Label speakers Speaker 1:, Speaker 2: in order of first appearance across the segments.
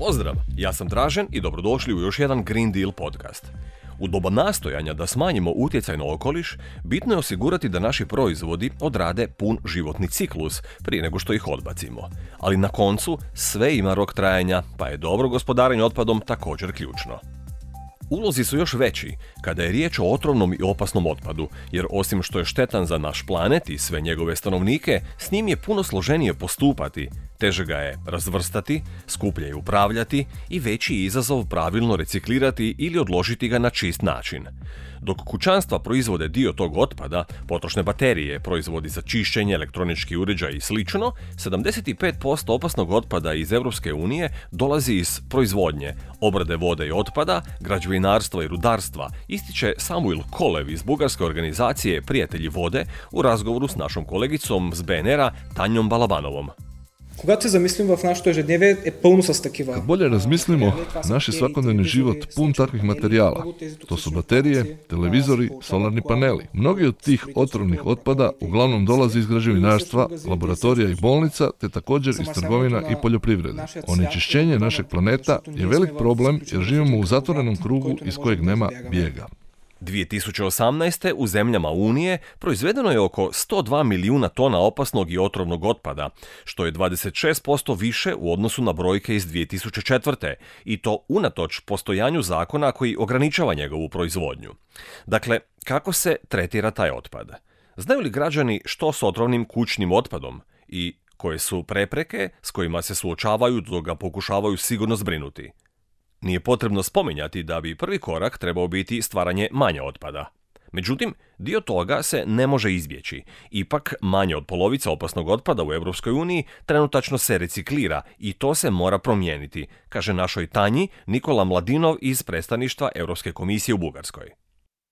Speaker 1: Pozdrav, ja sam Dražen i dobrodošli u još jedan Green Deal podcast. U doba nastojanja da smanjimo utjecaj na okoliš, bitno je osigurati da naši proizvodi odrade pun životni ciklus prije nego što ih odbacimo. Ali na koncu sve ima rok trajanja, pa je dobro gospodarenje otpadom također ključno. Ulozi su još veći kada je riječ o otrovnom i opasnom otpadu, jer osim što je štetan za naš planet i sve njegove stanovnike, s njim je puno složenije postupati, teže ga je razvrstati, skuplje je upravljati i veći izazov pravilno reciklirati ili odložiti ga na čist način. Dok kućanstva proizvode dio tog otpada, potrošne baterije, proizvodi za čišćenje, elektronički uređaj i slično, 75% opasnog otpada iz Europske unije dolazi iz proizvodnje, obrade vode i otpada, građevinarstva i rudarstva, ističe Samuil Kolev iz bugarske organizacije Prijatelji vode u razgovoru s našom kolegicom z BNR-a Tanjom Balabanovom.
Speaker 2: Когато се замислим в нашето ежедневие е пълно с такива.
Speaker 3: Kad bolje razmislimo, naš je svakodnevni život pun takvih materijala. To su baterije, televizori, solarni paneli. Mnogi od tih otrovnih otpada uglavnom dolazi iz građevinarstva, laboratorija i bolnica, te također iz trgovina i poljoprivrede. Onečišćenje našeg planeta je velik problem jer živimo u zatvorenom krugu iz kojeg nema bijega.
Speaker 1: 2018. u zemljama Unije proizvedeno je oko 102 milijuna tona opasnog i otrovnog otpada, što je 26% više u odnosu na brojke iz 2004. i to unatoč postojanju zakona koji ograničava njegovu proizvodnju. Dakle, kako se tretira taj otpad? Znaju li građani što s otrovnim kućnim otpadom i koje su prepreke s kojima se suočavaju dok ga pokušavaju sigurno zbrinuti? Nije potrebno spominjati da bi prvi korak trebao biti stvaranje manje otpada. Međutim, dio toga se ne može izbjeći. Ipak, manje od polovice opasnog otpada u Europskoj uniji trenutačno se reciklira i to se mora promijeniti, kaže našoj Tanji Nikola Mladinov iz predstavništva Europske komisije u Bugarskoj.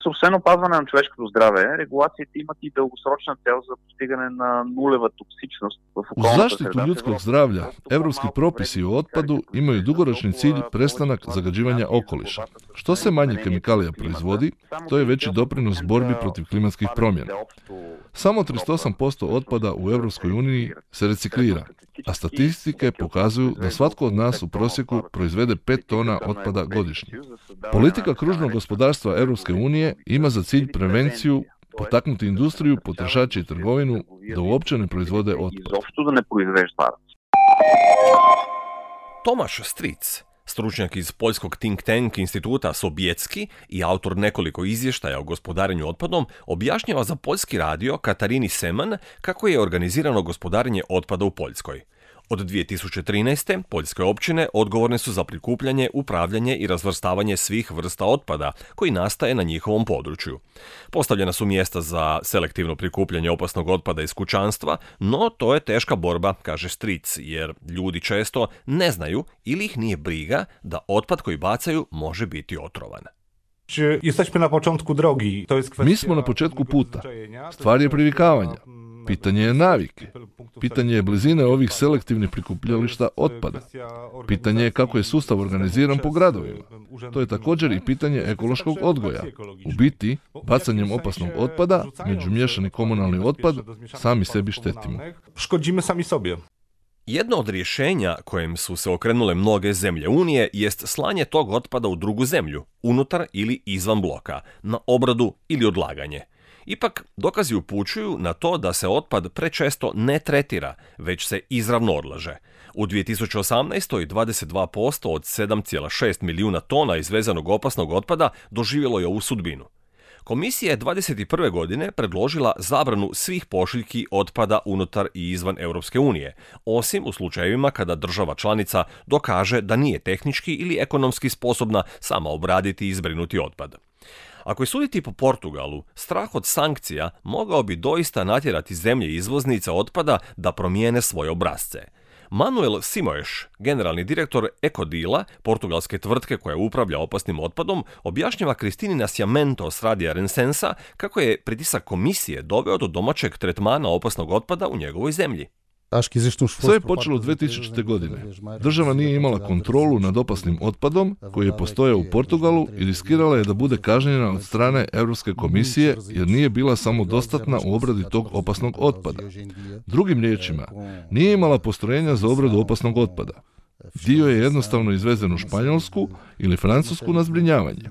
Speaker 4: Освен опазване на човешкото здраве, регулациите имат и дългосрочна цел за постигане на нулева токсичност в
Speaker 3: U
Speaker 4: околната
Speaker 3: zaštitu
Speaker 4: среда.
Speaker 3: ljudskog zdravlja, evropski propisi o otpadu imaju dugoročni cilj prestanak zagađivanja okoliša. Što se manje kemikalija proizvodi, to je veći doprinos borbi protiv klimatskih promjena. Samo 38% otpada u Europskoj uniji se reciklira, a statistike pokazuju da svatko od nas u prosjeku proizvede 5 tona otpada godišnje. Politika kružnog gospodarstva Europske unije ima za cilj prevenciju, potaknuti industriju, potrošače i trgovinu da uopće ne proizvode otpad.
Speaker 4: Изобщо да не произвежда.
Speaker 1: Tomaš Stric, stručnjak iz poljskog think tank instituta Sobiecki i autor nekoliko izvještaja o gospodarenju otpadom, objašnjava za poljski radio Katarini Seman kako je organizirano gospodarenje otpada u Poljskoj. Od 2013. poljske općine odgovorne su za prikupljanje, upravljanje i razvrstavanje svih vrsta otpada koji nastaje na njihovom području. Postavljena su mjesta za selektivno prikupljanje opasnog otpada iz kućanstva, no to je teška borba, kaže Stric, jer ljudi često ne znaju ili ih nije briga da otpad koji bacaju može biti otrovan.
Speaker 5: Jesteśmy na początku drogi. To jest kwestia
Speaker 3: Mi smo na početku puta. Stvar je privikavanja. Pitanje je navike. Pitanje je blizine ovih selektivnih prikupljališta otpada. Pitanje je kako je sustav organiziran po gradovima. To je također i pitanje ekološkog odgoja. U biti, bacanjem opasnog otpada, među miješani komunalni otpad, sami sebi štetimo.
Speaker 5: Szkodzimy sami sobie.
Speaker 1: Jedno od rješenja kojem su se okrenule mnoge zemlje Unije jest slanje tog otpada u drugu zemlju, unutar ili izvan bloka, na obradu ili odlaganje. Ipak, dokazi upućuju na to da se otpad prečesto ne tretira, već se izravno odlaže. U 2018. 22% od 7,6 milijuna tona izvezenog opasnog otpada doživjelo je ovu sudbinu. Komisija je 2021. godine predložila zabranu svih pošiljki otpada unutar i izvan Europske unije, osim u slučajevima kada država članica dokaže da nije tehnički ili ekonomski sposobna sama obraditi i zbrinuti otpad. Ako je suditi po Portugalu, strah od sankcija mogao bi doista natjerati zemlje izvoznica otpada da promijene svoje obrasce. Manuel Simões, generalni direktor Ecodila, portugalske tvrtke koja upravlja opasnim otpadom, objašnjava Kristini Nascimento s radija Rensensa kako je pritisak komisije doveo do domaćeg tretmana opasnog otpada u njegovoj zemlji.
Speaker 3: Sve je počelo 2000. godine. Država nije imala kontrolu nad opasnim otpadom koji je postojao u Portugalu i riskirala je da bude kažnjena od strane Europske komisije jer nije bila samodostatna u obradi tog opasnog otpada. Drugim riječima, nije imala postrojenja za obradu opasnog otpada. Dio je jednostavno izvezen u Španjolsku ili Francusku na zbrinjavanje.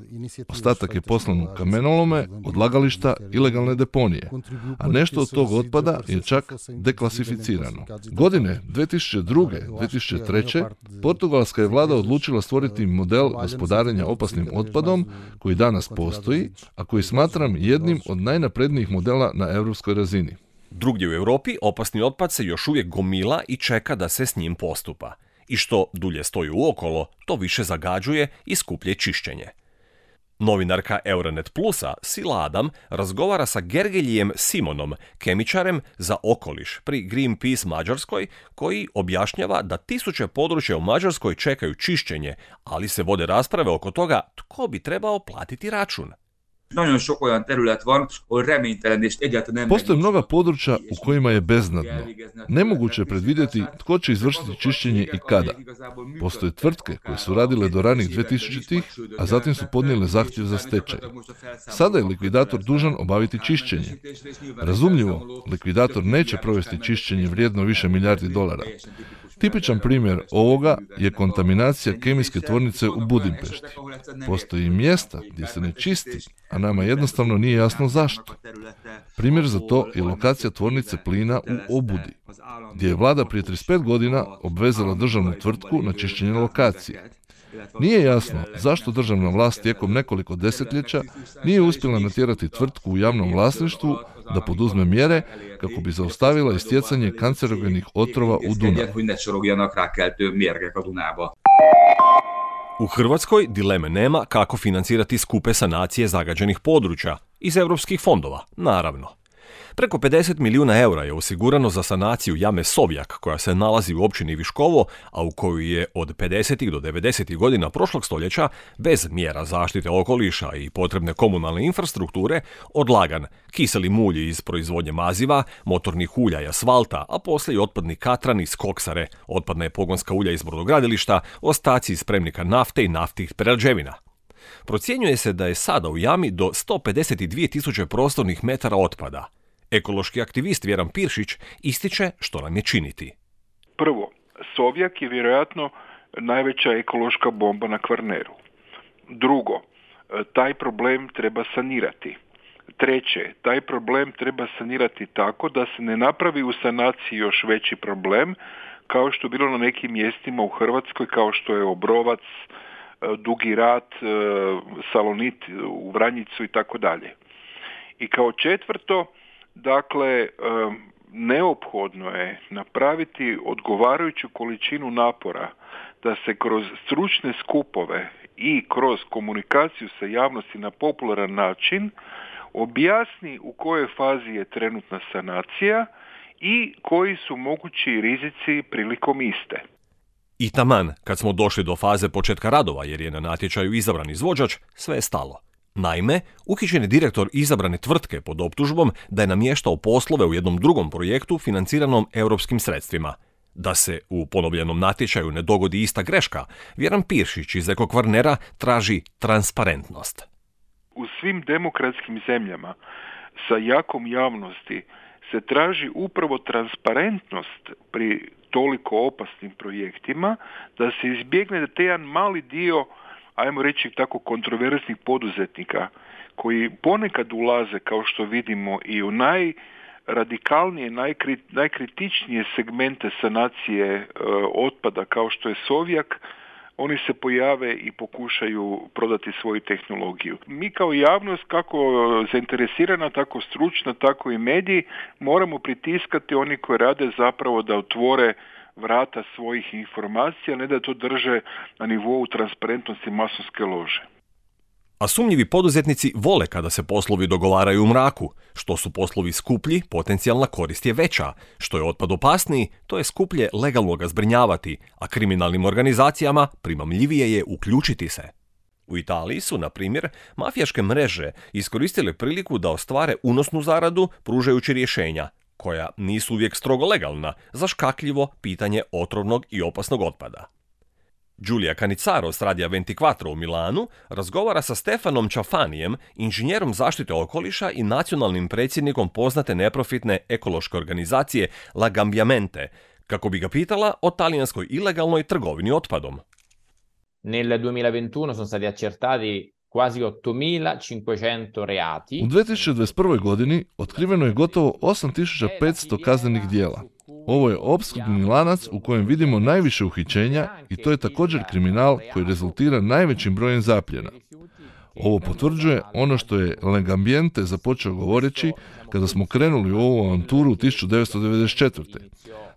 Speaker 3: Ostatak je poslan u kamenolome, odlagališta, ilegalne deponije, a nešto od tog otpada je čak deklasificirano. Godine 2002-2003. portugalska je vlada odlučila stvoriti model gospodarenja opasnim otpadom koji danas postoji, a koji smatram jednim od najnaprednijih modela na europskoj razini.
Speaker 1: Drugdje u Europi opasni otpad se još uvijek gomila i čeka da se s njim postupa. I što dulje stoji uokolo, to više zagađuje i skuplje čišćenje. Novinarka Euronet Plusa, Sila Adam, razgovara sa Gergeljijem Simonom, kemičarem za okoliš pri Greenpeace Mađarskoj, koji objašnjava da tisuće područja u Mađarskoj čekaju čišćenje, ali se vode rasprave oko toga tko bi trebao platiti račun.
Speaker 3: Postoje mnoga područja u kojima je beznadno. Nemoguće je predvidjeti tko će izvršiti čišćenje i kada. Postoje tvrtke koje su radile do ranih 2000-ih, a zatim su podnijele zahtjev za stečaj. Sada je likvidator dužan obaviti čišćenje. Razumljivo, likvidator neće provesti čišćenje vrijedno više milijardi dolara. Tipičan primjer ovoga je kontaminacija kemijske tvornice u Budimpešti. Postoji mjesta gdje se ne čisti, a nama jednostavno nije jasno zašto. Primjer za to je lokacija tvornice plina u Obudi, gdje je vlada prije 35 godina obvezala državnu tvrtku na čišćenje lokacije. Nije jasno zašto državna vlast tijekom nekoliko desetljeća nije uspjela natjerati tvrtku u javnom vlasništvu da poduzme mjere kako bi zaustavila istjecanje kancerogenih otrova u Dunav.
Speaker 1: U Hrvatskoj dileme nema kako financirati skupe sanacije zagađenih područja iz europskih fondova, naravno. Preko 50 milijuna eura je osigurano za sanaciju jame Sovjak, koja se nalazi u općini Viškovo, a u koju je od 50. do 90. godina prošlog stoljeća, bez mjera zaštite okoliša i potrebne komunalne infrastrukture, odlagan kiseli mulj iz proizvodnje maziva, motornih ulja i asfalta, a poslije i otpadni katran iz koksare, otpadna je pogonska ulja iz brodogradilišta, ostaci iz spremnika nafte i naftnih prerađevina. Procjenjuje se da je sada u jami do 152.000 prostornih metara otpada. Ekološki aktivist Vjeran Piršić ističe što nam je činiti.
Speaker 6: Prvo, Sovjak je vjerojatno najveća ekološka bomba na Kvarneru. Drugo, taj problem treba sanirati. Treće, taj problem treba sanirati tako da se ne napravi u sanaciji još veći problem, kao što je bilo na nekim mjestima u Hrvatskoj, kao što je Obrovac, Dugi Rat, Salonit u Vranjicu i tako dalje. I kao četvrto, dakle, neophodno je napraviti odgovarajuću količinu napora da se kroz stručne skupove i kroz komunikaciju sa javnosti na popularan način objasni u kojoj fazi je trenutna sanacija i koji su mogući rizici prilikom iste.
Speaker 1: I taman, kad smo došli do faze početka radova jer je na natječaju izabran izvođač, sve je stalo. Naime, uhićen je direktor izabrane tvrtke pod optužbom da je namještao poslove u jednom drugom projektu financiranom europskim sredstvima. Da se u ponovljenom natječaju ne dogodi ista greška, Vjeran Piršić iz Eko Kvarnera traži transparentnost.
Speaker 6: U svim demokratskim zemljama sa jakom javnosti se traži upravo transparentnost pri toliko opasnim projektima, da se izbjegne da te jedan mali dio, ajmo reći tako, kontroverznih poduzetnika koji ponekad ulaze, kao što vidimo, i u najradikalnije, najkritičnije segmente sanacije otpada, kao što je Sovjak, oni se pojave i pokušaju prodati svoju tehnologiju. Mi kao javnost, kako zainteresirana, tako stručna, tako i mediji, moramo pritiskati oni koji rade zapravo da otvore vrata svojih informacija, ne da to drže na nivou transparentnosti masonske lože.
Speaker 1: A sumnjivi poduzetnici vole kada se poslovi dogovaraju u mraku. Što su poslovi skuplji, potencijalna korist je veća. Što je otpad opasniji, to je skuplje legalno ga zbrinjavati, a kriminalnim organizacijama primamljivije je uključiti se. U Italiji su, na primjer, mafijaške mreže iskoristile priliku da ostvare unosnu zaradu pružajući rješenja, koja nisu uvijek strogo legalna, za škakljivo pitanje otrovnog i opasnog otpada. Giulia Cannizzaro s Radija 24 u Milanu razgovara sa Stefanom Čafanijem, inženjerom zaštite okoliša i nacionalnim predsjednikom poznate neprofitne ekološke organizacije La Gambiamente, kako bi ga pitala o talijanskoj ilegalnoj trgovini otpadom.
Speaker 7: Nel 2021 sono stati accertati quasi 8.500 reati.
Speaker 3: U 2021. godini otkriveno je gotovo 8.500 kaznenih dijela. Ovo je opskrbni lanac u kojem vidimo najviše uhićenja i to je također kriminal koji rezultira najvećim brojem zapljena. Ovo potvrđuje ono što je Legambiente započeo govoreći kada smo krenuli u ovu avanturu 1994.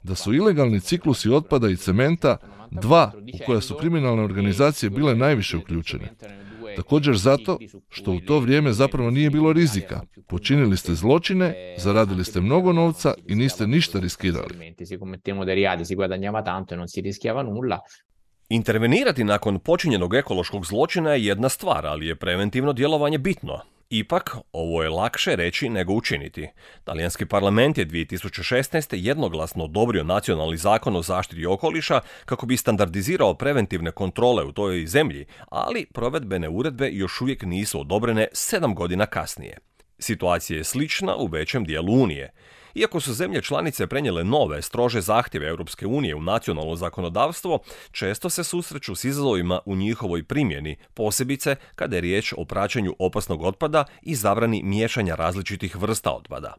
Speaker 3: Da su ilegalni ciklusi otpada i cementa dva u koja su kriminalne organizacije bile najviše uključene. Također zato što u to vrijeme zapravo nije bilo rizika. Počinili ste zločine, zaradili ste mnogo novca i niste ništa riskirali.
Speaker 1: Intervenirati nakon počinjenog ekološkog zločina je jedna stvar, ali je preventivno djelovanje bitno. Ipak, ovo je lakše reći nego učiniti. Talijanski parlament je 2016. jednoglasno odobrio nacionalni zakon o zaštiti okoliša kako bi standardizirao preventivne kontrole u toj zemlji, ali provedbene uredbe još uvijek nisu odobrene 7 godina kasnije. Situacija je slična u većem dijelu Unije. Iako su zemlje članice prenijele nove, strože zahtjeve Europske unije u nacionalno zakonodavstvo, često se susreću s izazovima u njihovoj primjeni, posebice kada je riječ o praćenju opasnog otpada i zabrani miješanja različitih vrsta otpada.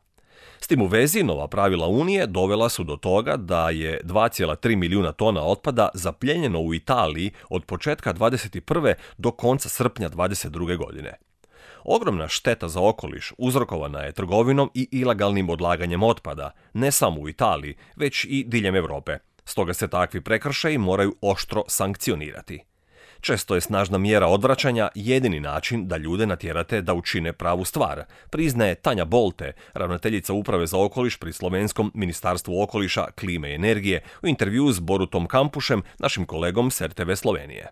Speaker 1: S tim u vezi, nova pravila Unije dovela su do toga da je 2,3 milijuna tona otpada zaplijenjeno u Italiji od početka 21. do konca srpnja 22. godine. Ogromna šteta za okoliš uzrokovana je trgovinom i ilegalnim odlaganjem otpada, ne samo u Italiji, već i diljem Europe. Stoga se takvi prekršaji moraju oštro sankcionirati. Često je snažna mjera odvraćanja jedini način da ljude natjerate da učine pravu stvar, priznaje Tanja Bolte, ravnateljica Uprave za okoliš pri Slovenskom Ministarstvu okoliša, klime i energije, u intervjuu s Borutom Kampušem, našim kolegom s RTV Slovenije.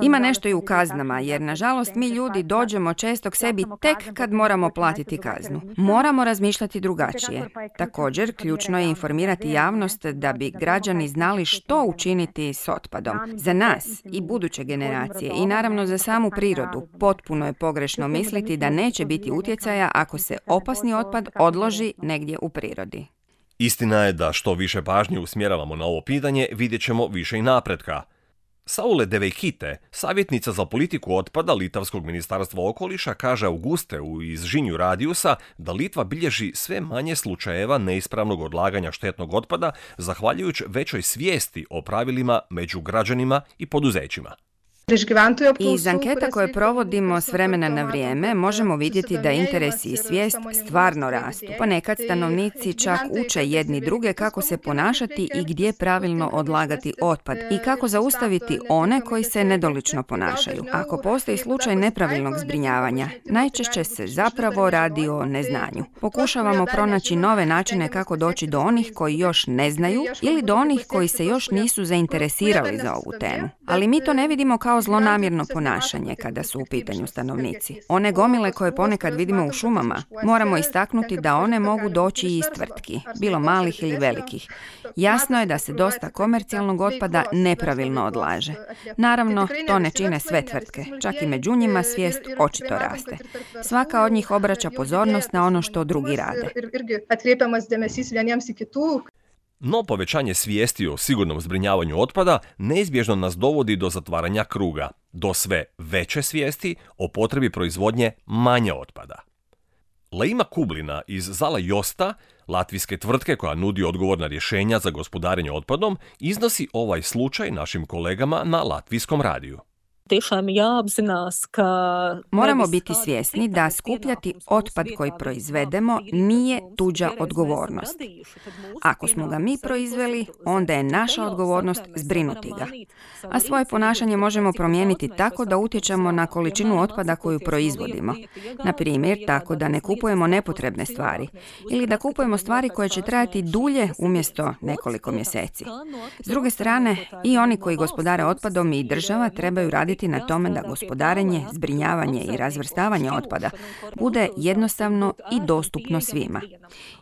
Speaker 8: Ima nešto i u kaznama, jer nažalost mi ljudi dođemo često k sebi tek kad moramo platiti kaznu. Moramo razmišljati drugačije. Također, ključno je informirati javnost da bi građani znali što učiniti s otpadom. Za nas i buduće generacije i naravno za samu prirodu potpuno je pogrešno misliti da neće biti utjecaja ako se opasni otpad odloži negdje u prirodi.
Speaker 1: Istina je da što više pažnje usmjeravamo na ovo pitanje, vidjet ćemo više i napretka. Saule Deveikite, savjetnica za politiku otpada Litavskog ministarstva okoliša, kaže Auguste iz Žinju Radiusa da Litva bilježi sve manje slučajeva neispravnog odlaganja štetnog otpada zahvaljujući većoj svijesti o pravilima među građanima i poduzećima.
Speaker 8: Iz anketa koje provodimo s vremena na vrijeme možemo vidjeti da interes i svijest stvarno rastu. Ponekad stanovnici čak uče jedni druge kako se ponašati i gdje pravilno odlagati otpad i kako zaustaviti one koji se nedolično ponašaju. Ako postoji slučaj nepravilnog zbrinjavanja, najčešće se zapravo radi o neznanju. Pokušavamo pronaći nove načine kako doći do onih koji još ne znaju ili do onih koji se još nisu zainteresirali za ovu temu. Ali mi to ne vidimo kao zlonamjerno ponašanje kada su u pitanju stanovnici. One gomile koje ponekad vidimo u šumama, moramo istaknuti da one mogu doći iz tvrtki, bilo malih ili velikih. Jasno je da se dosta komercijalnog otpada nepravilno odlaže. Naravno, to ne čine sve tvrtke, čak i među njima svijest očito raste. Svaka od njih obraća pozornost na ono što drugi rade.
Speaker 1: No povećanje svijesti o sigurnom zbrinjavanju otpada neizbježno nas dovodi do zatvaranja kruga, do sve veće svijesti o potrebi proizvodnje manje otpada. Leima Kublina iz Zala Josta, latvijske tvrtke koja nudi odgovorna rješenja za gospodarenje otpadom, iznosi ovaj slučaj našim kolegama na latvijskom radiju.
Speaker 8: Moramo biti svjesni da skupljati otpad koji proizvedemo nije tuđa odgovornost. Ako smo ga mi proizveli, onda je naša odgovornost zbrinuti ga. A svoje ponašanje možemo promijeniti tako da utječemo na količinu otpada koju proizvodimo. Na primjer, tako da ne kupujemo nepotrebne stvari ili da kupujemo stvari koje će trajati dulje umjesto nekoliko mjeseci. S druge strane, i oni koji gospodare otpadom i država trebaju raditi na tome da gospodarenje, zbrinjavanje i razvrstavanje otpada bude jednostavno i dostupno svima.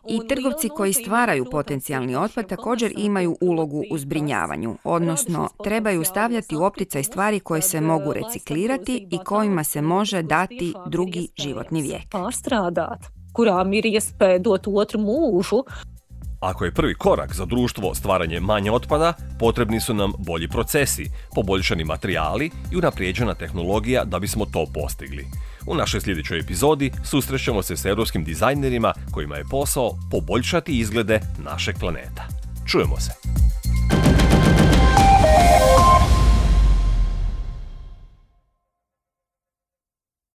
Speaker 8: I trgovci koji stvaraju potencijalni otpad također imaju ulogu u zbrinjavanju, odnosno trebaju stavljati u opticaj stvari koje se mogu reciklirati i kojima se može dati drugi životni vijek.
Speaker 1: Ako je prvi korak za društvo stvaranje manje otpada, potrebni su nam bolji procesi, poboljšani materijali i unaprijeđena tehnologija da bismo to postigli. U našoj sljedećoj epizodi susrećemo se s europskim dizajnerima kojima je posao poboljšati izglede našeg planeta. Čujemo se!